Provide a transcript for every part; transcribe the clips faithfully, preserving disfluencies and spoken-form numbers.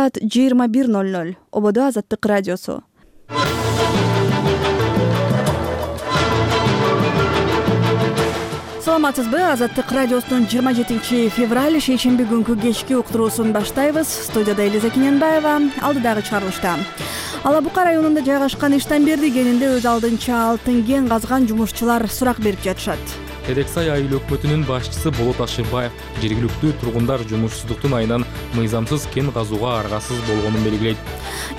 саат жыйырма бир ноль ноль. Ободо Азаттык радиосу. Саламатсызбы? Азаттык радиосунун жыйырма жетинчи февраль шейшемби күнкү кечки уктуруусун баштайбыз. Студияда Элиза Кененбаева, алдыдагы чыгарылышта. Ала Бука районунда жайгашкан Иштанберди кенинде өз алдынча алтын кен казган жумушчулар сурак берип жатышат. Терексай айыл өкмөтүнүн башчысы Болот Ашырбаев жергиликтүү тургундар жумушсуздуктун айынан мыйзамсыз кен казууга аргасыз болгонун белгилейт.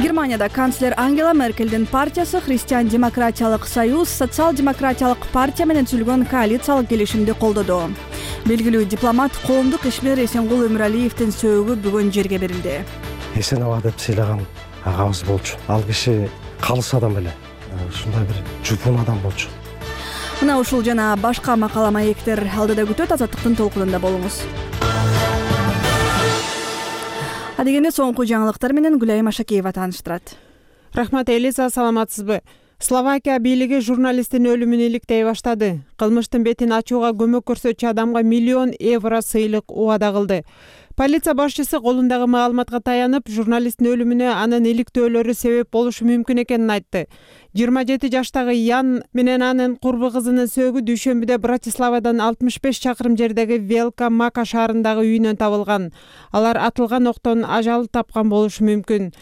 Германияда канцлер Ангела Меркелдин партиясы Христиан-демократиялык союз социал-демократиялык партия менен түзүлгөн коалициялык келишимди колдоду. Белгилүү дипломат коомдук ишмер Эсенгул Өмүралиевдин сөөгү бүгүн жерге берилди. Эсенова деп сыйлаган агабыз болчу. Ал киши калыс адам эле. Ушундай бир жупун адам болчу. Мына ушул жана башка макала маектер алдыда күтөт. Азаттыктын толкунунда болуңуз. Адегенде соңку жаңылыктар менен Гүлайым Ашакеева тааныштырат. Рахмат, Элиза, саламатсызбы? Словакия бийлиги журналисттин өлүмүн иликтей баштады. Кылмыштын бетин ачууга көмөк көрсөтчү адамга миллион евро сыйлык убада кылды. Полиция башчысы колундагы маалыматка таянып, журналисттин өлүмүнө анын иликтөөлөрү себеп болушу мүмкүн экенин айтты. жыйырма жети жаштагы Ян менен анын курбу кызынын сөөгү дүйшөмбүдө Братиславадан алтымыш беш чакырым жердеги Велка Мака шаарындагы үйүнөн табылган. Алар атылган октон ажал тапкан болушу мүмкүн.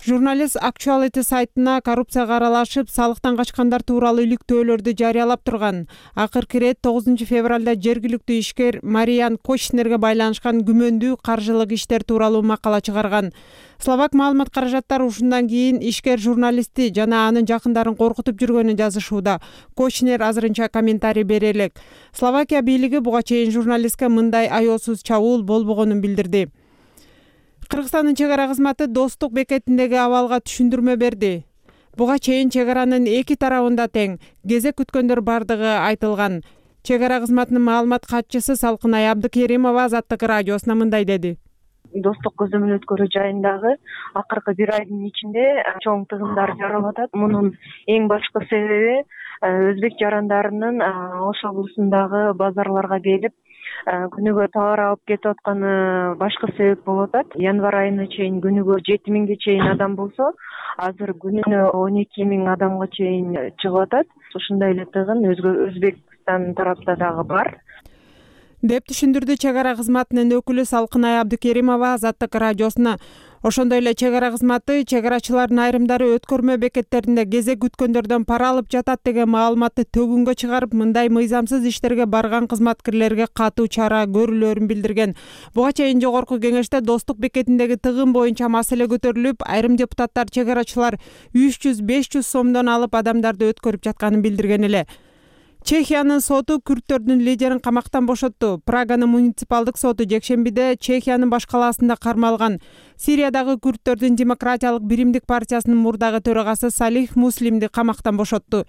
Журналист Actuality сайтына коррупцияга аралашып, салыктан качкандар тууралуу иликтөөлөрдү жарыялап турган. Акыркы ирет тогузунчу февралда жергиликтүү ишкер Мариан Кочнерге байланышкан күмөндүү каржылык иштер тууралуу макала чыгарган. Словак маалымат каражаттары ушундан кийин ишкер журналистти жана анын жакындарын коркутуп жүргөнүн жазышууда. Кочнер азырынча комментарий бере элек. Словакия бийлиги буга чейин журналистке мындай аеосуз чабуул болбогонун билдирди. Кыргызстандын чек ара кызматы Достук бекетиндеги абалга түшүндүрмө берди. Буга чейин чек аранын эки тарабында тең кезек күткөндөр бардыгы айтылган. Чек ара кызматынын маалымат катчысы Салкынай Абдыкеримова Азаттык радиосуна мындай деди. Достук көзөмөл өткөрүү жайындагы акыркы бир айдын ичинде чоң тыгындар жаралып атат. Мунун эң башкы себеби өзбек жарандарынын Ош облусундагы базарларга келип күнүгө товар алып кетип атканы башкы себеп болуп атат. Январь айына чейин күнүгө жети миңге чейин адам болсо, азыр күнүнө он эки миң адамга чейин чыгып атат. Ушундай эле тыгын Өзбекстан тарапта дагы бар деп түшүндүрдү чек ара кызматынын өкүлү Салкынай Абдыкеримова Азаттык радиосуна. Ошондой эле чек ара кызматы чек арачылардын айрымдары өткөрмө бекеттеринде кезек күткөндөрдөн пара алып жатат деген маалыматты төгүнгө чыгарып, мындай мыйзамсыз иштерге барган кызматкерлерге катуу чара көрүлөөрүн билдирген. Буга чейин жогорку кеңеште Достук бекетиндеги тыгын боюнча маселе көтөрүлүп, айрым депутаттар чек арачылар үч жүз беш жүз сомдон алып адамдарды өткөрүп жатканын билдирген эле. Чехиянын соту күрттөрдүн лидерин камактан бошотту. Праганын муниципалдык соту жекшембиде Чехиянын баш калаасында кармалган Сириядагы күрттөрдүн демократиялык биримдик партиясынын мурдагы төрагасы Салих Муслимди камактан бошотту.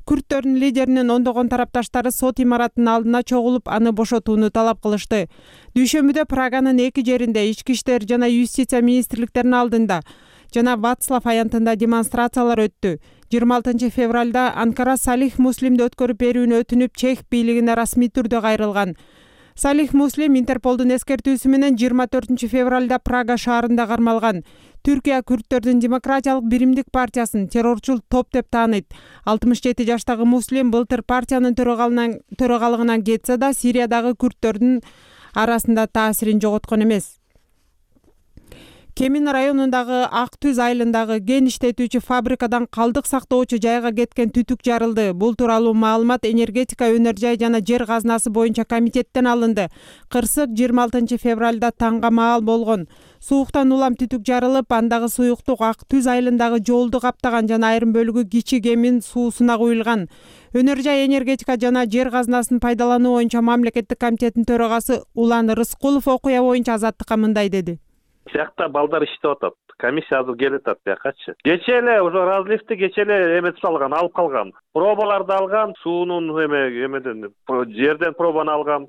Күрттөрдүн лидеринин ондогон тарапташтары сот имаратынын алдына чогулуп, аны бошотууну талап кылышты. Дүйшөмбүдө Праганын эки жеринде ички иштер жана юстиция министрликтеринин алдында жана Вацлав аянтында демонстрациялар өттү. жыйырма алтынчы февралда Анкара Салих Муслимди өткөрүп берүүнү өтүнүп, чех бийлигине расмий түрдө кайрылган. Салих Муслим Интерполдун эскертүүсү менен жыйырма төртүнчү февралда Прага шаарында кармалган. Түркия күрттөрдүн демократиялык биримдик партиясын террорчул топ деп тааныйт. алтымыш жети жаштагы Муслим былтыр партиянын төрагалыгынан кетсе да, Сириядагы күрттөрдүн арасында таасирин жоготкон эмес. Кемин районундагы Ак Түз айылындагы кен иштетүүчү фабрикадан калдык сактоочу жайга кеткен түтүк жарылды. Бул тууралуу маалымат энергетика, өнөр жай жана жер казынасы боюнча комитеттен алынды. Кырсык жыйырма алтынчы февралда таңга маал болгон. Сууктан улам түтүк жарылып, андагы суюктук Ак Түз айылындагы жолду каптаган жана айрым бөлүгү кичи кемин суусуна куюлган. Өнөр жай энергетика жана жер казынасын пайдалануу боюнча мамлекеттик комитеттин төрагасы Улан Рыскулов окуя боюнча Азаттыкка мындай деди. Сиякта балдар иштеп атат. Комиссия азыр келип атат биякачы. Кече эле уже разливти кече эле эметип салган, алып калган. Пробаларды алган, суунун эме эмеден жерден пробаны алган.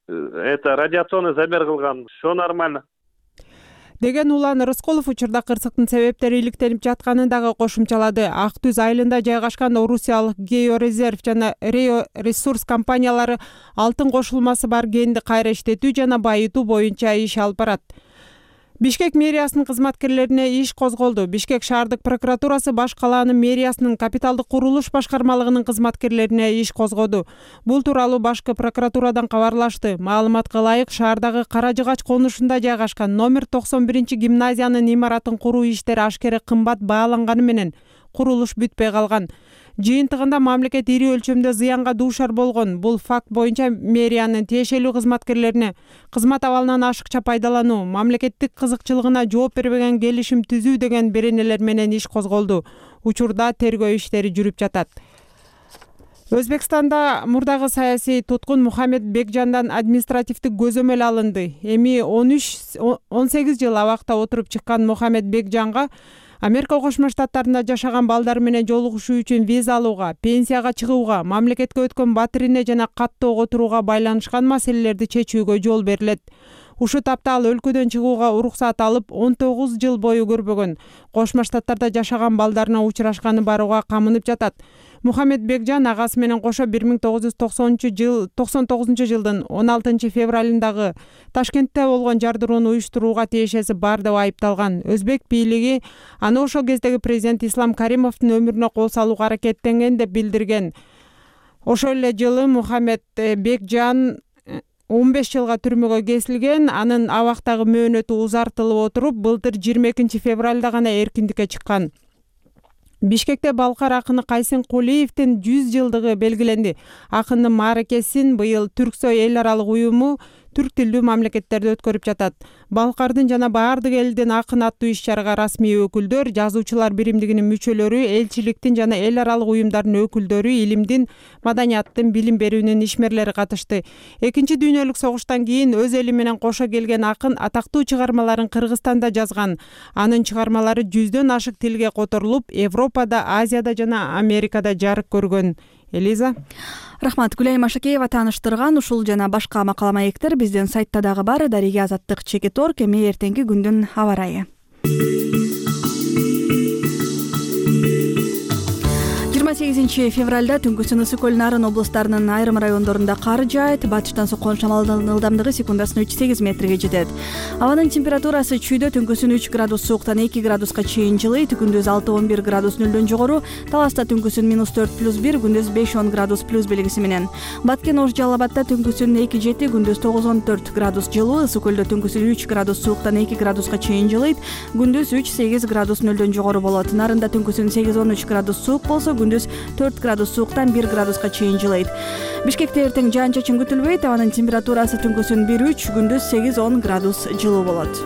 Это радиационный замер кылган. Всё нормально. деген Улан Рыскулов учурда кырсыктын себептери иликтенип жатканын дагы кошумчалады. Ак Түз айылында жайгашкан Орусиялык Георезерв жана Рео Ресурс компаниялары алтын кошулмасы бар кенди кайра иштетүү жана байытуу боюнча иш алып барат. Бишкек мэриясынын кызматкерлерине иш козголду. Бишкек шаардык прокуратурасы баш калаанын мэриясынын капиталдык курулуш башкармалыгынын кызматкерлерине иш козгоду. Бул тууралуу башкы прокуратурадан кабарлашты. Маалыматка ылайык, шаардагы Кара Жыгач конушунда жайгашкан номер токсон биринчи гимназиянын имаратын куруу иштери ашкере кымбат бааланганы менен курулуш бүтпөй калган. Жыйынтыгында мамлекет ири өлчөмдө зыянга дуушар болгон. Бул факт боюнча мэриянын тиешелүү кызматкерлерине кызмат абалынан ашыкча пайдалануу, мамлекеттик кызыкчылыгына жооп бербеген келишим түзүү деген беренелер менен иш козголду. Учурда тергөө иштери жүрүп жатат. Өзбекстанда мурдагы саясий туткун Мухаммед Бекжандан административдик көзөмөл алынды. Эми он үч он сегиз жыл абакта отуруп чыккан Мухаммед Бекжанга Америка Кошмо Штаттарында жашаган балдары менен жолугушуу үчүн виза алууга, пенсияга чыгууга, мамлекетке өткөн батирине жана каттоого турууга байланышкан маселелерди чечүүгө жол берилет. Ушул тапта ал өлкөдөн чыгууга уруксат алып, он тогуз жыл бою көрбөгөн. Кошмо Штаттарда жашаган балдарына учурашканы барууга камынып жатат. Мухаммед Бекжан агасы менен кошо бир миң тогуз жүз токсонунчу жыл токсон тогузунчу жылдын он алтынчы февралындагы Ташкентте болгон жардырууну уюштурууга тиешеси бар деп айыпталган. Өзбек бийлиги аны ошол кездеги президент Ислам Каримовдун өмүрүнө кол салууга аракеттенген деп билдирген. Ошол эле жылы Мухаммед Бекжан он беш жылга түрмөгө кесилген. Анын абактагы мөөнөтү узартылып отуруп, былтыр жыйырма экинчи февралда гана эркиндикке чыккан. Бишкекте балкар акыны Кайсен Кулиевдин жүз жылдыгы белгиленди. Акындын мааракесин быйыл Түрксой эл аралык уюму түрк тилдүү мамлекеттерде өткөрүп жатат. Балкардын жана баардык элдин акын аттуу иш-чарага расмий өкүлдөр, жазуучулар биримдигинин мүчөлөрү, элчиликтин жана эл аралык уюмдардын өкүлдөрү, илимдин, маданияттын, билим берүүнүн ишмерлери катышты. Экинчи дүйнөлүк согуштан кийин өз эли менен кошо келген акын атактуу чыгармаларын Кыргызстанда жазган. Анын чыгармалары жүздөн ашык тилге которулуп, Европада, Азияда жана Америкада жарык көргөн. Элиза. Рахмат. Гүлайым Ашакеева тааныштырган ушул жана башка макала маектер биздин сайтта дагы бар. Дарига Азаттык чекит орг. Эми эртеңки күндүн аба ырайы. жыйырма сегизинчи февралда түнкүсүн ысык көл Нарын облустарынын айрым райондорунда кар жаайт. Батыштан соккон шамалдын ылдамдыгы секундасына үч сегиз метрге жетет. Абанын температурасы чүйдө түнкүсүн үч градус сууктан эки градуска чейин жылыйт. Күндүз алты он бир градус нөлдөн жогору. Таласта түнкүсүн минус төрт плюс бир, күндүз беш он градус плюс белгиси менен. Баткен Ош Жалал Абадта түнкүсүн эки жети, күндүз тогуз он төрт градус жылуу. Ысык көлдө түнкүсүн үч градус сууктан эки градуска чейин жылыйт. Күндүз үч сегиз градус нөлдөн жогору болот. Нарында түнкүсүн сегиз он үч градус суук болсо, күндүз төрт градус сууктан бир градуска чейин жылыйт. Бишкекте эртең жаан-чачын күтүлбөйт. Абанын температурасы түнкүсүн бир үч, күндүз сегиз он градус жылуу болот.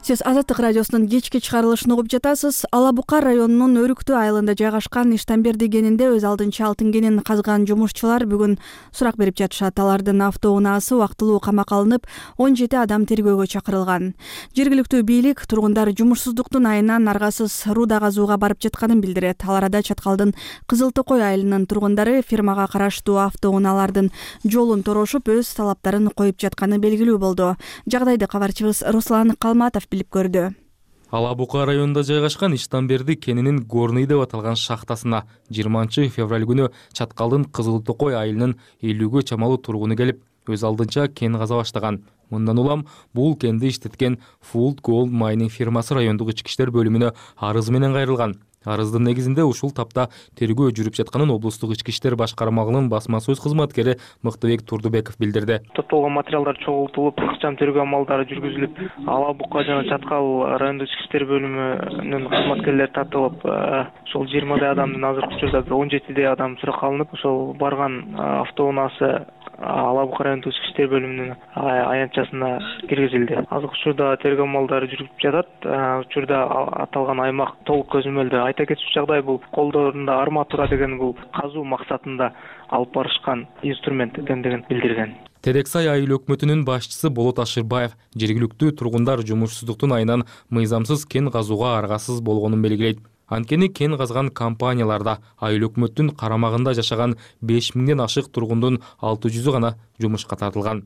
Сиз Азаттык радиосунун кечки чыгарылышын угуп жатасыз. Ала Бука районунун Өрүктүү айылында жайгашкан Иштанберди кенинде өз алдынча алтын кенин казган жумушчулар бүгүн сурак берип жатышат. Алардын автоунаасы убактылуу камакка алынып, он жети адам тергөөгө чакырылган. Жергиликтүү бийлик тургундар жумушсуздуктун айынан аргасыз рууда казууга барып жатканын билдирет. Ал арада Чаткалдын Кызыл Токой айылынын тургундары фирмага караштуу автоунаалардын жолун торошуп, өз талаптарын коюп жатканы белгилүү болду. Жагдайды кабарчыбыз Руслан Калматов билип көрдү. Ала Бука районунда жайгашкан Иштанберди кенинин Горный деп аталган шахтасына жыйырманчы февраль күнү Чаткалдын Кызыл Токой айылынын элүүгө чамалуу тургуну келип, өз алдынча кен каза баштаган. Мындан улам бул кенди иштеткен Food Gold Mining фирмасы райондук ички иштер бөлүмүнө арыз менен кайрылган. Арыздын негизинде ушул тапта тергөө жүрүп жатканын облустук ички иштер башкармалыгынын басма сөз кызматкери Мыктыбек Турдубеков билдирди. Топтолгон материалдар чогултулуп, ыкчам тергөө амалдары жүргүзүлүп, Ала Бука жана Чаткал райондук ички иштер бөлүмүнүн кызматкерлери тартылып, ошол жыйырмадай адамдын азыркы учурда бир он жетидей адам суракка алынып, ошол барган автоунаасы Ала Бука райондук ички иштер бөлүмүнүн аянтчасына киргизилди. Азыркы учурда тергөө амалдары жүрүп жатат. Учурда аталган аймак толук көзөмөлдө. Айта кетчү жагдай, бул колдорунда арматура деген бул казуу максатында алып барышкан инструмент экендигин билдирген. Терексай айыл өкмөтүнүн башчысы Болот Ашырбаев жергиликтүү тургундар жумушсуздуктун айынан мыйзамсыз кен казууга аргасыз болгонун белгилейт. Анткени кен казган компанияларда айыл өкмөттүн карамагында жашаган беш миңден ашык тургундун алты жүзү гана жумушка тартылган.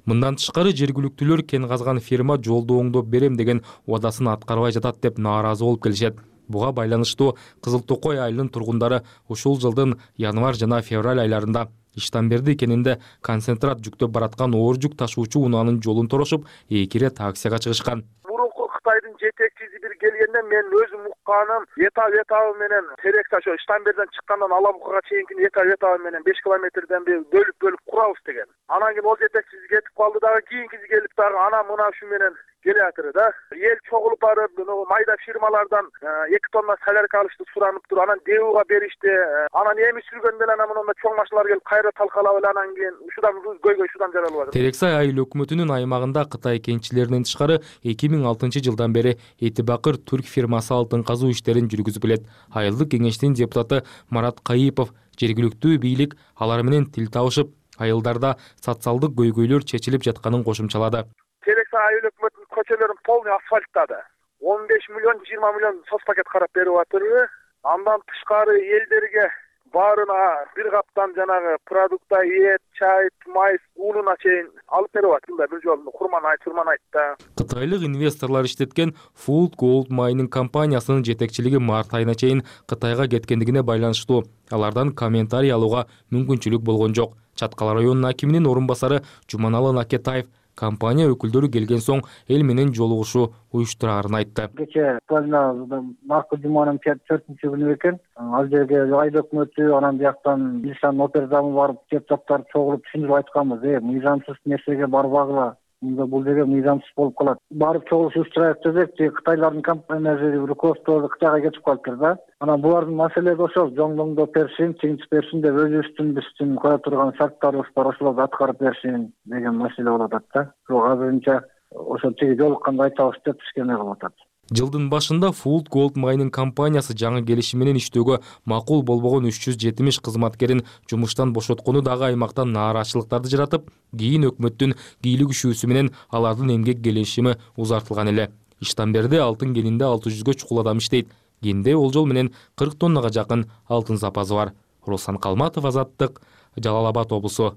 Мындан тышкары жергиликтүүлөр кен казган фирма жолду оңдоп берем деген убадасын аткарбай жатат деп нааразы болуп келишет. Буга байланыштуу Кызыл Токой айылынын тургундары ушул жылдын январь жана февраль айларында Иштанберди кенинде концентрат жүктөп бараткан оор жүк ташуучу унаанын жолун торошуп, эки ирет акцияга чыгышкан. Мурунку Кытайдын жетекчиси бир келгенде мен өзүм укканым этап этабы менен терек таш Иштанбердиден чыккандан Алабукага чейинки этап этабы менен беш километрден бөлүп бөлүп курабыз деген. Анан кийин ол жетекчиси кетип калды дагы, кийинкиси келип дагы ана мына ушу менен келатыр да. Эл чогулуп барып, майда фирмалардан эки тонна солярка алышты суранып тур. Анан Девуга беришти. Анан эми сүргөндө эле мына чоң машиналар келип кайра талкалап эле анан кийин ушудан көйгөй ушудан жаралып атат. Терексай айыл өкмөтүнүн аймагында Кытай кенчилеринен тышкары эки миң алтынчы жылдан бери Этибакыр түрк фирмасы алтын казуу иштерин жүргүзүп келет. Айылдык кеңештин депутаты Марат Кайыпов жергиликтүү бийлик алар менен тил табышып, айылдарда социалдык көйгөйлөр чечилип жатканын кошумчалады. Терексай айыл өкмөтүнүн көчөлөрүн полный асфальттады. он беш миллион жыйырма миллион соц пакет карап берип атырбы. Андан тышкары элдерге баарына бир каптан жанагы продукта эт, чай, майс, унуна чейин алып берип атты. Бир жолу курман айт, турман айтта. Кытайлык инвесторлор иштеткен Food Gold Mining компаниясынын жетекчилиги март айына чейин Кытайга кеткендигине байланыштуу алардан комментарий алууга мүмкүнчүлүк болгон жок. Чаткал районунун акиминин орун басары Жуманалы Накетаев компания өкүлдөрү келген соң эл менен жолугушуу уюштурарын айтты. Кече март жуманын төртүнчү күнү экен. Ал жерге айыл өкмөтү, анан бияктан милициянын опердамы барып, депутаттар чогулуп түшүндүрүп айтканбыз. Э, мыйзамсыз нерсеге барбагыла. Мында бул жерге мыйзамсыз болуп калат. Барып чогулуш уюштурайык десек, Кытайлардын компаниясы руководствосу Кытайга кетип калыптыр да. Анан булардын маселеси ошол, жоңдоңдоп берсин, чыңчып берсин деп өзүбүздүн биздин кое турган шарттарыбыз бар, ошолорду аткарып берсин деген маселе болуп атат да. Бирок азырынча ошо тиги жолукканда айтабыз деп бизге кылып атат. Жылдын башында Food Gold Mining компаниясы жаңы келишим менен иштөөгө макул болбогон үч жүз жетимиш кызматкерин жумуштан бошоткону дагы аймакта нааразычылыктарды жаратып, кийин өкмөттүн кийлигишүүсү менен алардын эмгек келишими узартылган эле. Иштанберди алтын кенинде алты жүзгө чукул адам иштейт. Кенде болжол менен кырк тоннага жакын алтын запасы бар. Руслан Калматов, Азаттык, Жалал Абад облусу.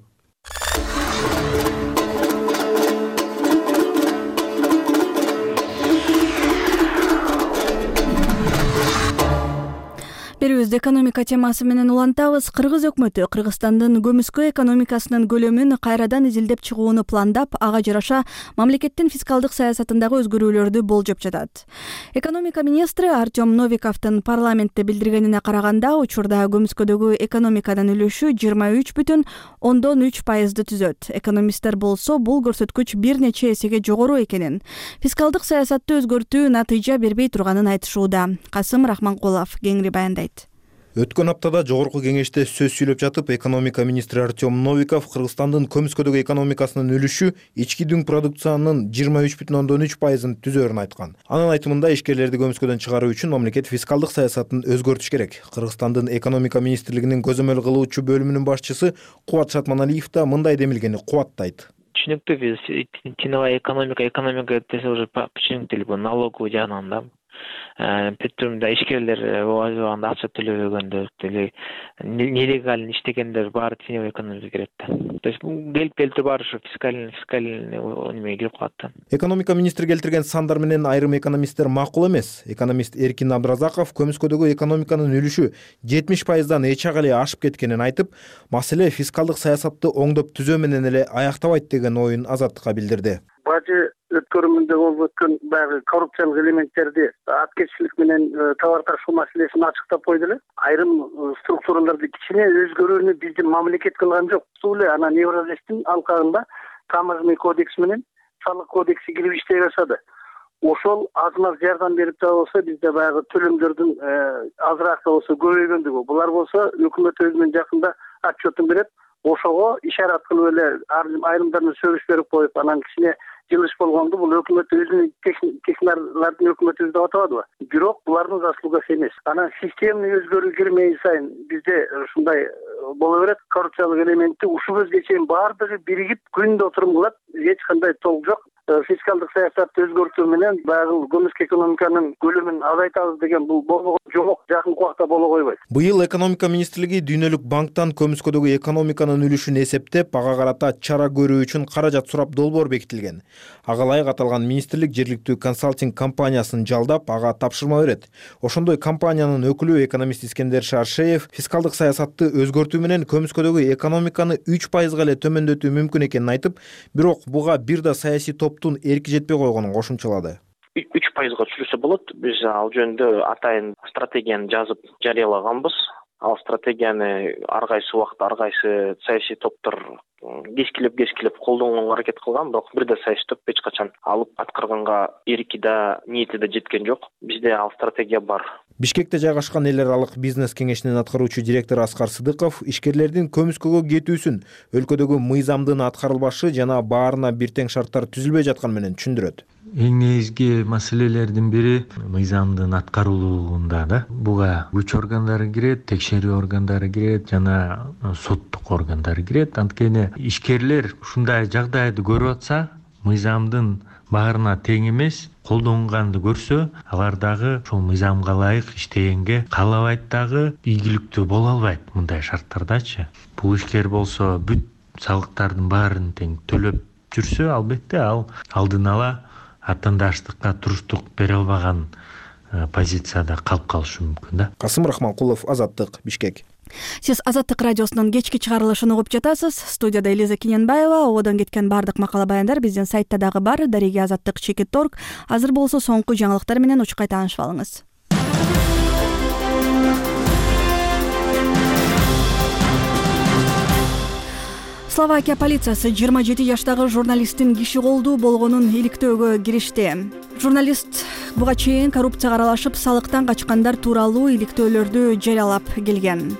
Берүүбүздү экономика темасы менен улантабыз. Кыргыз өкмөтү Кыргызстандын көмүскө экономикасынын көлөмүн кайрадан изилдеп чыгууну пландап, ага жараша мамлекеттин фискалдык саясатындагы өзгөрүүлөрдү болжоп жатат. Экономика министри Артем Новиковдун парламентте билдиргенине караганда, учурда көмүскөдөгү экономиканын үлүшү жыйырма үч бүтүн ондон үч пайызды түзөт. Экономисттер болсо бул көрсөткүч бир нече эсеге жогору экенин, фискалдык саясатты өзгөртүү натыйжа бербей турганын айтышууда. Касым Рахманкулов кеңири баяндайт. Өткөн аптада жогорку кеңеште сөз сүйлөп жатып, экономика министри Артем Новиков Кыргызстандын көмүскөдөгү экономикасынын үлүшү ички дүң продукциянын жыйырма үч бүтүн ондон үч пайызын түзөөрүн айткан. Анын айтымында ишкерлерди көмүскөдөн чыгаруу үчүн мамлекет фискалдык саясатын өзгөртүш керек. Кыргызстандын экономика министрлигинин көзөмөл кылуучу бөлүмүнүн башчысы Кубат Шатманалиев да мындай демилгени кубаттайт. Түшүнүктүү, биз тиновая экономика, экономика десе уже түшүнүктүү, налоговый жагынан да. Петрумда ишкерлер анда акча төлөбөгөндөр, нелегально иштегендер баары теневой экономика кирет да. То есть келип келип баары ушу фискальный фискальный неме кирип калат да. Экономика министри келтирген сандар менен айрым экономисттер макул эмес. Экономист Эркин Абдразаков көмүскөдөгү экономиканын үлүшү жетимиш пайыздан эч ак эле ашып кеткенин айтып, маселе фискалдык саясатты оңдоп түзөө менен эле аяктабайт деген оюн Азаттыкка билдирди. Бажы өткөрүмүндө болуп өткөн баягы коррупциялык элементтерди аткечилик менен товар ташуу маселесин ачыктап койду эле. Айрым структураларды кичине өзгөрүүнү биздин мамлекет кылган жок. Ушул эле анан Евразестин алкагында таможенный кодекс менен салык кодекси кирип иштей баштады. Ошол аз маз жардам берип да болсо бизде баягы төлөмдөрдүн азыраак да болсо көбөйгөндүгү. Булар болсо өкмөт өзүнүн жакында отчетун берет. Ошого ишарат кылып эле айрымдарына сөгүш берип коюп, анан кичине жылыш болгонду. Бул өкмөт өзүнүн технарлардын өкмөтү деп атабадыбы? Бирок булардын заслугасы эмес. Анан системный өзгөрүү кирмей сайын бизде ушундай боло берет. Коррупциялык элементти ушул көзгө чейин баардыгы биригип күндө отурум кылат. Эч кандай толук жок. фискалдык саясатты өзгөртүү менен баягы көмүскө экономиканын көлөмүн азайтабыз деген бул болбогон жомок жакынкы убакта боло койбойт. Быйыл экономика министрлиги Дүйнөлүк банктан көмүскөдөгү экономиканын үлүшүн эсептеп, ага карата чара көрүү үчүн каражат сурап долбоор бекитилген. Ага ылайык аталган министрлик жергиликтүү консалтинг компаниясын жалдап, ага тапшырма берет. Ошондой компаниянын өкүлү экономист Искендер Шаршеев фискалдык саясатты өзгөртүү менен көмүскөдөгү экономиканы үч пайызга эле төмөндөтүү мүмкүн экенин айтып, бирок буга бир да саясий топтун эрки жетпей койгонун кошумчалады. үч пайызга түшүрсө болот. Биз ал жөнүндө атайын стратегияны жазып жарыялаганбыз. Ал стратегияны ар кайсы убакта ар кайсы саясий топтор кескилеп кескилеп колдонгонго аракет кылган, бирок бир да саясий топ эч качан алып аткарганга эрки да, ниети да жеткен жок. Бизде ал стратегия бар. Бишкекте жайгашкан эл аралык бизнес кеңешинин аткаруучу директору Аскар Сыдыков ишкерлердин көмүскөгө кетүүсүн өлкөдөгү мыйзамдын аткарылбашы жана баарына бир тең шарттар түзүлбөй жатканы менен түшүндүрөт. Эң негизги маселелердин бири мыйзамдын аткарылуунда да. Буга күч органдары кирет, текшерүү органдары кирет жана соттук органдар кирет. Анткени ишкерлер ушундай жагдайды көрүп атса, мыйзамдын баарына тең эмес, колдонганды көрсө, алар дагы ошол мыйзамга ылайык иштегенге каалабайт дагы, ийгиликтүү боло албайт мындай шарттардачы. Бул ишкер болсо бүт салыктардын баарын тең төлөп жүрсө, албетте ал алдын ала атандаштыкка туруштук бере албаган позицияда калып калышы мүмкүн да. Касым Рахманкулов, Азаттык, Бишкек. Сиз Азаттык радиосунун кечки чыгарылышын угуп жатасыз. Студияда Элиза Кененбаева. Одон кеткен бардык макала баяндар биздин сайтта дагы бар. Дареги азаттык чекит точка орг. Азыр болсо соңку жаңылыктар менен учкай таанышып алыңыз. Словакия полициясы жыйырма жети жаштагы журналисттин киши колдуу болгонун иликтөөгө киришти. Журналист буга чейин коррупцияга аралашып, салыктан качкандар тууралуу иликтөөлөрдү жарыялап келген.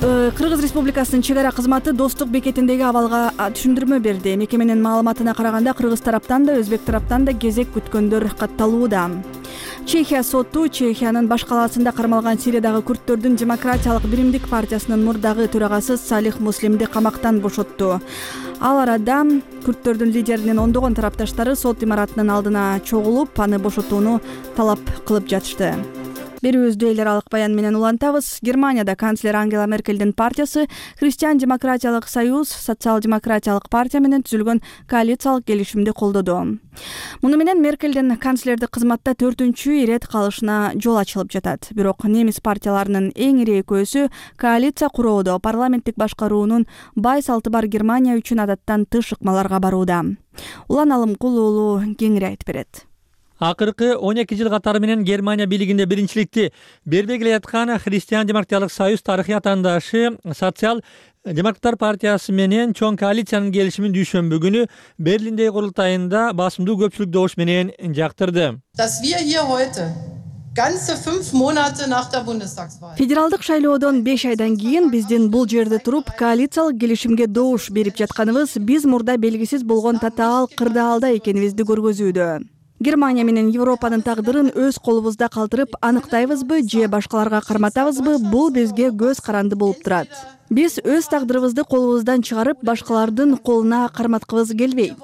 Кыргыз Республикасынын чек ара кызматы Достук бекетиндеги абалга түшүндүрмө берди. Мекеменин маалыматына караганда, кыргыз тараптан да, өзбек тараптан да кезек күткөндөр катталууда. Чехия соту Чехиянын баш калаасында кармалган Сириядагы күрттөрдүн Демократиялык биримдик партиясынын мурдагы төрагасы Салих Муслимди камактан бошотту. Ал арада күрттөрдүн лидеринин ондогон тарапташтары сот имаратынын алдына чогулуп, аны бошотууну талап кылып жатышты. Берүүбүздү эл аралык баян менен улантабыз. Германияда канцлер Ангела Меркельдин партиясы Христиан-демократиялык союз, социал-демократиялык партия менен түзүлгөн коалициялык келишимди колдоду. Муну менен Меркельдин канцлердик кызматта төртүнчү ирет калышына жол ачылып жатат. Бирок немис партияларынын эң ири экөөсү коалиция куроодо парламенттик башкаруунун бай салты бар Германия үчүн адаттан тыш ыкмаларга барууда. Улан Алымкул уулу кеңири айтып берет. Акыркы он эки жыл катары менен Германия бийлигинде биринчиликти бербей келе жаткан Христиан-демократиялык союз тарыхый атаандашы социал-демократтар партиясы менен чоң коалициянын келишимин дүйшөмбү күнү Берлиндеги курултайында басымдуу көпчүлүк добуш менен жактырды. Федералдык шайлоодон беш айдан кийин биздин бул жерде туруп коалициялык келишимге добуш берип жатканыбыз биз мурда белгисиз болгон татаал кырдаалда экенибизди көргөзүүдө. Германия менен Европанын тагдырын өз колубузда калтырып аныктайбызбы же башкаларга карматабызбы, бул бизге көз каранды болуп турат. Биз өз тагдырыбызды колубуздан чыгарып, башкалардын колуна карматкыбыз келбейт.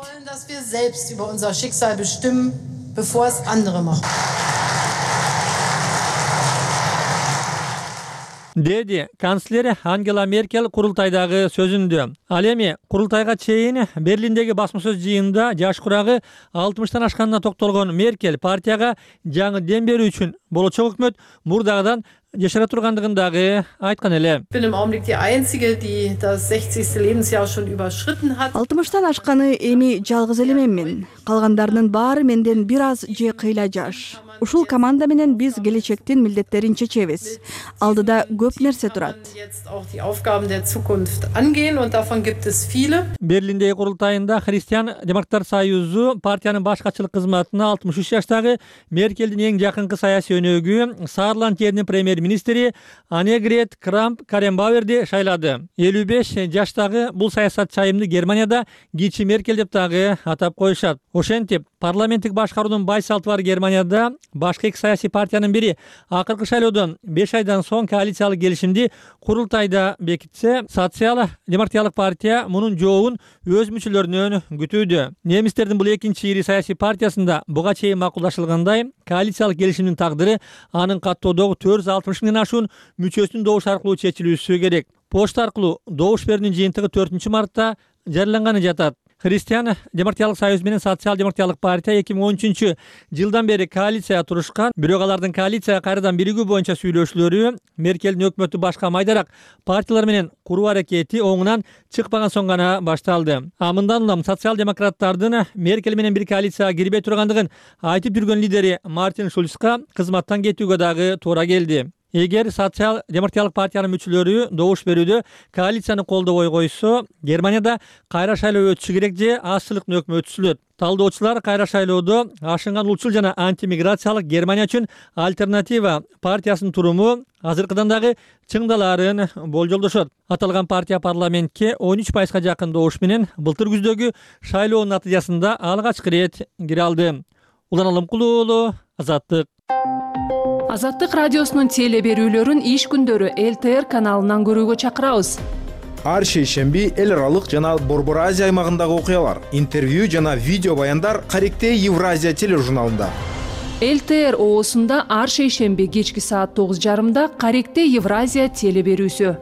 Деди канцлер Ангела Меркель курултайдагы сөзүндө. Ал эми курултайга чейин Берлиндеги басма сөз жыйынында жаш курагы алтымыштан ашканына токтолгон Меркель партияга жаңы дем берүү үчүн болочок өкмөт мурдагыдан жашара тургандыгын дагы айткан эле. алтымыштан ашканы эми жалгыз эле менмин. Калгандарынын баары менден бир аз же кыйла жаш. Ушул команда менен биз келечектин милдеттерин чечебиз. Алдыда көп нерсе турат. Берлиндеги курултайында Христиан-демократтар союзу партиянын баш катчылык кызматына алтымыш үч жаштагы Меркелдин эң жакынкы саясий өнөгү Саарланд жеринин премьер министри Анегрет Крамп-Карренбауерди шайлады. элүү беш жаштагы бул саясатчы айымды Германияда кичи Меркель деп дагы атап коюшат. Ошентип, парламенттик башкаруунун бай салты бар Германияда башка эки саясий партиянын бири акыркы шайлоодон беш айдан соң коалициялык келишимди курултайда бекитсе, социал-демократиялык партия мунун жообун өз мүчөлөрүнөн күтүүдө. Немистердин бул экинчи ири саясий партиясында буга чейин макулдашылгандай, коалициялык келишимдин тагдыры анын каттоодогу төрт жүз алтымыш миңден ашуун мүчөсүнүн добуш аркылуу чечилүүсү керек. Почта аркылуу добуш берүүнүн жыйынтыгы төртүнчү мартта жарыяланганы жатат. Христиан демократиялык союз менен социал-демократиялык партия эки миң он үчүнчү жылдан бери коалицияга турушкан, бирок алардын коалицияга кайрадан биригүү боюнча сүйлөшүүлөрү Меркелдин өкмөтү башка майдараак партиялар менен куруу аракети оңунан чыкпаган соң гана башталды. А мындан улам социал-демократтардын Меркель менен бир коалицияга кирбей тургандыгын айтып жүргөн лидери Мартин Шульцка кызматтан кетүүгө дагы туура келди. Эгер социал-демократиялык партиянын мүчөлөрү добуш берүүдө коалицияны колдобой койсо, Германияда кайра шайлоо өтүшү керек же азчылыктын өкмү өтүшүлөт. Талдоочулар кайра шайлоодо ашынган улчул жана антимиграциялык Германия үчүн альтернатива партиясынын туруму азыркыдан дагы чыңдалаарын болжолдошот. Аталган партия парламентке он үч пайызга жакын добуш менен былтыр күздөгү шайлоонун натыйжасында алгачкы ирет кире алды. Улан Алымкулуу уулу, Азаттык. Азаттык радиосунун теле берүүлөрүн иш күндөрү эл тэ эр каналынан көрүүгө чакырабыз. Ар шейшемби эл аралык жана Борбор Азия аймагындагы окуялар, интервью жана видео баяндар Каректе Евразия тележурналында. эл тэ эр оосунда ар шейшемби кечки саат тогуз жарымда Каректе Евразия теле берүүсү.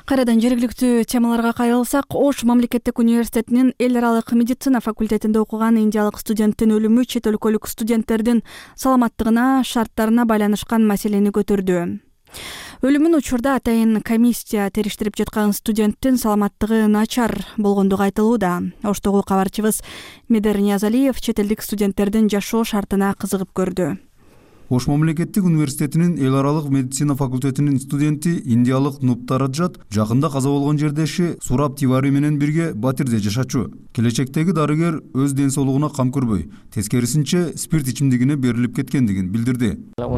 Кайрадан жергиликтүү темаларга кайрылсак, Ош мамлекеттик университетинин эл аралык медицина факультетинде окуган индиялык студенттин өлүмү чет өлкөлүк студенттердин саламаттыгына, шарттарына байланышкан маселени көтөрдү. Өлүмүн учурда атайын комиссия териштирип жаткан студенттин саламаттыгы начар болгондугу айтылууда. Оштогу кабарчыбыз Медер Ниязалиев чет элдик студенттердин жашоо шартына кызыгып көрдү. Ош мамлекеттик университетинин эл аралык медицина факультетинин студенти индиялык Нуптар Раджат жакында каза болгон жердеши Сураб Тивари менен бирге Батирде жашачу. Келечектеги дарыгер өз ден соолугуна кам көрбөй, тескерисинче спирт ичимдигине берилип кеткендигин билдирди. Ал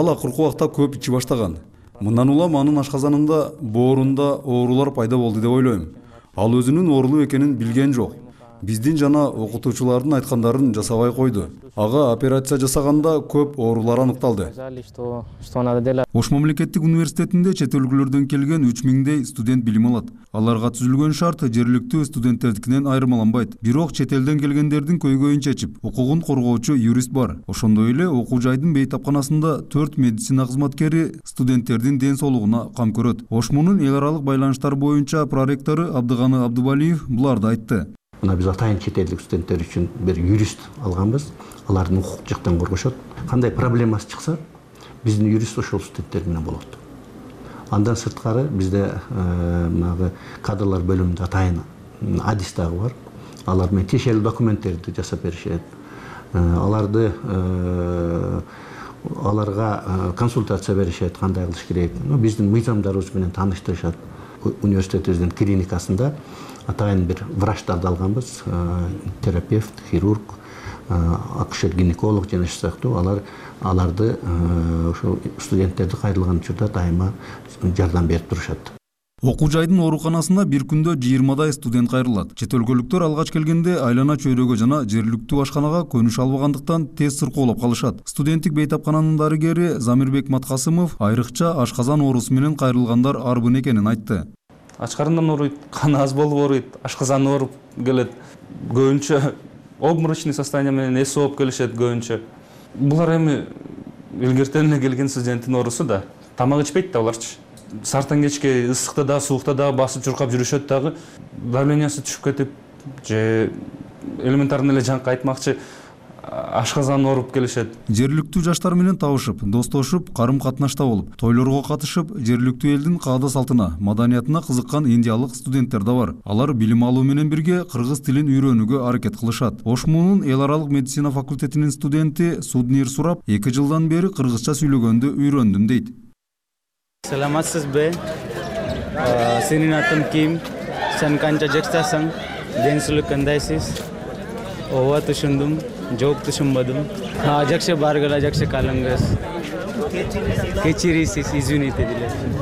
акыркы убакта көп ичи баштаган. Мындан улам анын ашказанында, боорунда оорулар пайда болду деп ойлойм. Ал өзүнүн оорулуу экенин билген жок. Биздин жана окутуучулардын айткандарын жасабай койду. Ага операция жасаганда көп оорулар аныкталды. Ош мамлекеттик университетинде чет өлкөлөрдөн келген үч миңдей студент билим алат. Аларга түзүлгөн шарт жергиликтүү студенттердикинен айырмаланбайт. Бирок чет элден келгендердин көйгөйүн чечип, укугун коргоочу юрист бар. Ошондой эле окуу жайдын бейтапканасында төрт медицина кызматкери студенттердин ден соолугуна кам көрөт. Ошмунун эл аралык байланыштар боюнча проректору Абдыганы Абдыбалиев буларды айтты. Мына биз атайын чет элдик студенттер үчүн бир юрист алганбыз. Алардын укук жактан коргошот. Кандай проблемасы чыкса, биздин юрист ошол студенттер менен болот. Андан сырткары бизде мына кадрлар бөлүмүндө атайын адис дагы бар. Алар менен тиешелүү документтерди жасап беришет. Аларды аларга консультация беришет, кандай кылыш керек. Биздин мыйзамдарыбыз менен тааныштырышат. Университетибиздин клиникасында атайын бир врачтарды алганбыз, терапевт, хирург, акушер-гинеколог жана ошол сыяктуу алар аларды ошо студенттерди кайрылган учурда дайыма жардам берип турушат. Окуу жайдын ооруканасына бир күндө жыйырмадай студент кайрылат. Чет өлкөлүктөр алгач келгенде айлана чөйрөгө жана жергиликтүү ашканага көнүш албагандыктан тез сыркоолоп калышат. Студенттик бейтапкананын дарыгери Замирбек Маткасымов айрыкча ашказан оорусу менен кайрылгандар арбын экенин айтты. Ач карындан ооруйт, каны аз болуп ооруйт, ашказан ооруп келет. Көбүнчө обморочный состояние менен эс ооп келишет көбүнчө. Булар эми илгертен эле келген студенттин оорусу да. Тамак ичпейт да буларчы. Сартан кечке ысыкта да, суукта да басып чуркап жүрүшөт дагы. Давлениясы түшүп кетип, же элементарный эле жаңкы айтмакчы ашказан ооруп келишет. Жергиликтүү жаштар менен табышып, достошуп, карым-катнашта болуп, тойлорго катышып, жергиликтүү элдин каада-салтына, маданиятына кызыккан индиялык студенттер да бар. Алар билим алуу менен бирге кыргыз тилин үйрөнүүгө аракет кылышат. Ошмунун эл аралык медицина факультетинин студенти Суднир Сураб эки жылдан бери кыргызча сүйлөгөндү үйрөндүм дейт. Саламатсызбы? Сенин атың ким? Сен канча жаштасың? Ден соолук кандайсыз? Ооба түшүндүм. жооп түшүнбөдүм. Жакшы баргыла, жакшы калыңыз. Кечирисиз, извините дилейм.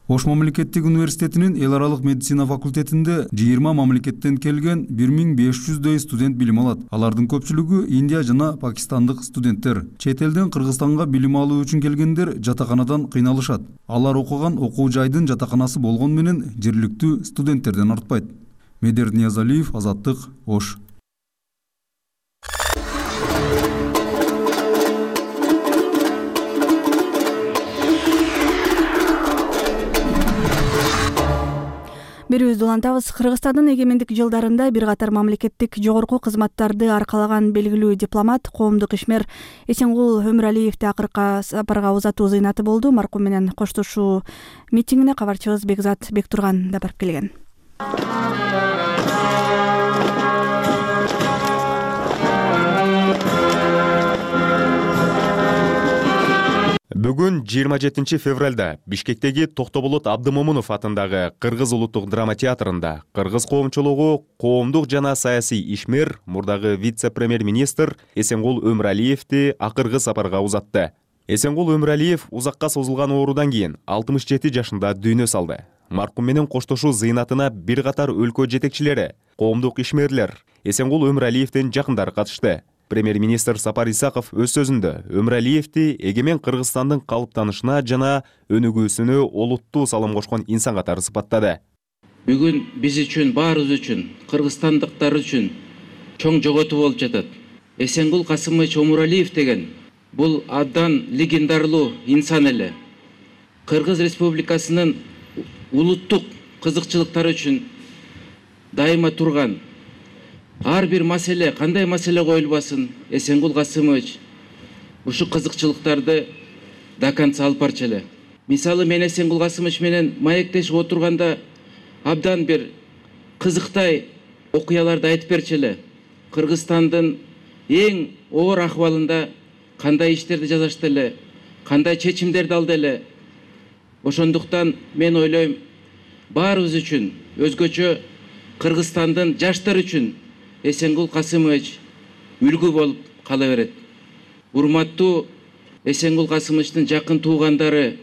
Ош мамлекеттик университетинин эл аралык медицина факультетинде жыйырма мамлекеттен келген бир миң беш жүздөй студент билим алат. Алардын көпчүлүгү Индия жана пакистандык студенттер. Чет элден Кыргызстанга билим алуу үчүн келгендер жатаканадан кыйналышат. Алар окуган окуу жайдын жатаканасы болгон менен жергиликтүү студенттерден артпайт. Медер Ниязалиев, Азаттык, Ош. Берүүбүздү улантабыз. Кыргызстандын эгемендик жылдарында бир катар мамлекеттик жогорку кызматтарды аркалаган белгилүү дипломат, коомдук ишмер Эсенгул Өмүралиевди акыркы сапарга узатуу зыйнаты болду. Маркум менен коштошуу митингине кабарчыбыз Бекзат Бектурган да барып келген. Бүгүн жыйырма жетинчи февралда Бишкектеги Токтоболот Абдымомунов атындагы Кыргыз улуттук драма театрында кыргыз коомчулугу коомдук жана саясий ишмер, мурдагы вице-премьер-министр Эсенгул Өмүралиевди акыркы сапарга узатты. Эсенгул Өмүралиев узакка созулган оорудан кийин алтымыш жети жашында дүйнө салды. Маркум менен коштошуу зыйнатына бир катар өлкө жетекчилери, коомдук ишмерлер, Эсенгул Өмүралиевдин жакындары катышты. Премьер-министр Сапар Исаков өз сөзүндө Өмүралиевди эгемен Кыргызстандын калыптанышына жана өнүгүүсүнө олуттуу салым кошкон инсан катары сыпаттады. Бүгүн биз үчүн, баарыбыз үчүн, кыргызстандыктар үчүн чоң жоготуу болуп жатат. Эсенгул Касымович Өмүралиев деген бул абдан легендарлуу инсан эле. Кыргыз Республикасынын улуттук кызыкчылыктары үчүн дайыма турган. Ар бир маселе, кандай маселе коюлбасын, Эсенгул Касымович ушу кызыкчылыктарды до конца алып барчу эле. Мисалы, мен Эсенгул Касымович менен маектешип отурганда абдан бир кызыктай окуяларды айтып берчү эле. Кыргызстандын эң оор акыбалында кандай иштерди жасашты эле, кандай чечимдерди алды эле. Ошондуктан мен ойлойм, баарыбыз үчүн, өзгөчө Кыргызстандын жаштары үчүн Эсенгул Касымович үлгү болуп кала берет. Урматтуу Эсенгул Касымовичтин жакын туугандары,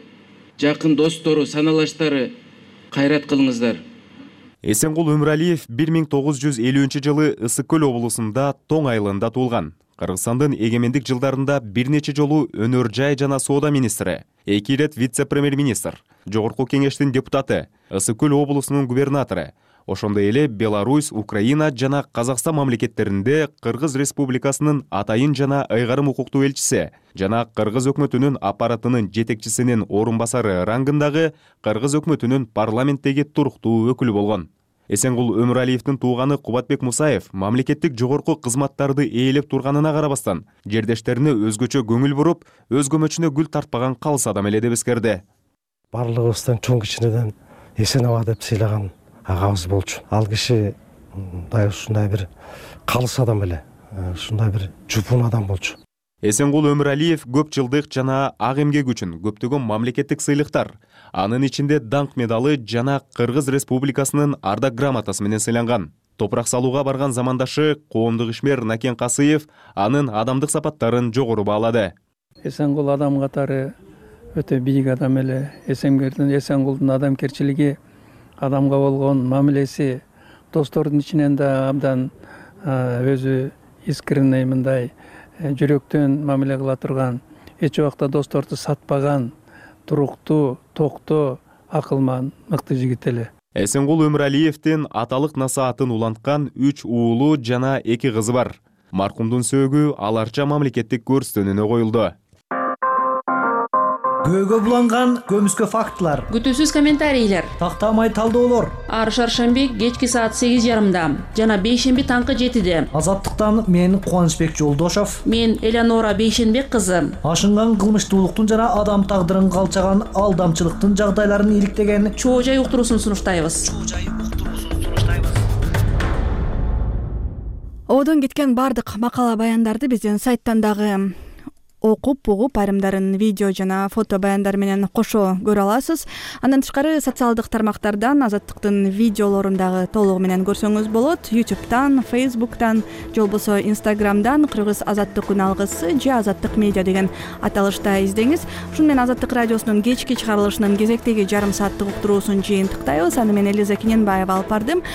жакын достору, саналаштары, кайрат кылыңыздар. Эсенгул Өмүралиев бир миң тогуз жүз элүүнчү жылы Ысык көл облусунда Тоң айылында туулган. Кыргызстандын эгемендик жылдарында бир нече жолу өнөр жай жана соода министри, эки ирет вице-премьер-министр, жогорку кеңештин депутаты, Ысык көл облусунун губернатору, ошондой эле Беларусь, Украина жана Казакстан мамлекеттеринде Кыргыз Республикасынын атайын жана ыйгарым укуктуу элчиси жана Кыргыз өкмөтүнүн аппаратынын жетекчисинин орун басары рангындагы Кыргыз өкмөтүнүн парламенттеги туруктуу өкүлү болгон. Эсенгул Өмүралиевдин тууганы Кубатбек Мусаев мамлекеттик жогорку кызматтарды ээлеп турганына карабастан, жердештерине өзгөчө көңүл буруп, өз көмөчүнө гүл тартпаган калыс адам эле деп эскерди. Барлыгыбыздан чоң кичинеден эсен аба деп сыйлаган агабыз болчу. Ал киши мындай ушундай бир калыс адам эле, ушундай бир жупун адам болчу. Эсенгул Өмүралиев көп жылдык жана ак эмгек үчүн көптөгөн мамлекеттик сыйлыктар, анын ичинде даңк медалы жана Кыргыз Республикасынын ардак грамотасы менен сыйланган. Топурак салууга барган замандашы коомдук ишмер Накен Касыев анын адамдык сапаттарын жогору баалады. Эсенгул адам катары өтө бийик адам эле. Эсенгулдун адамкерчилиги, адамга болгон мамилеси, достордун ичинен да абдан өзү искренний, мындай жүрөктөн мамиле кыла турган, эч убакта досторду сатпаган, туруктуу, токтоо, акылман, мыкты жигит эле. Эсенгул Өмүралиевдин аталык насаатын уланткан үч уулу жана эки кызы бар. Маркумдун сөөгү аларча мамлекеттик көрсөтүүнүнө коюлду. Көөгө буланган көмүскө фактылар, күтүүсүз комментарийлер, тактамай талдоолор. Ар шаршемби кечки саат сегиз жарымда жана бейшемби таңкы жетиде. Азаттыктан мен Кубанычбек Жолдошов, мен Элеонора Бейшенбек кызы. Ашынган кылмыштуулуктун жана адам тагдырын калчаган алдамчылыктын жагдайларын иликтеген чоо жай уктуруусун сунуштайбыз. Одон кеткен бардык макала баяндарды биздин сайттан дагы окуп угуп, айрымдарын видео жана фото баяндар менен кошо көрө аласыз. Андан тышкары социалдык тармактардан Азаттыктын видеолорун дагы толугу менен көрсөңүз болот. YouTube'тан, Facebook'тан, же болбосо Instagram'дан Кыргыз Азаттык күн алгысы же Азаттык медиа деген аталышта издеңиз. Ушуну менен Азаттык радиосунун кечки чыгарылышынын кезектеги жарым сааттык уктуруусун жыйынтыктайбыз. Аны мен Элиза Кененбаева алып бардым.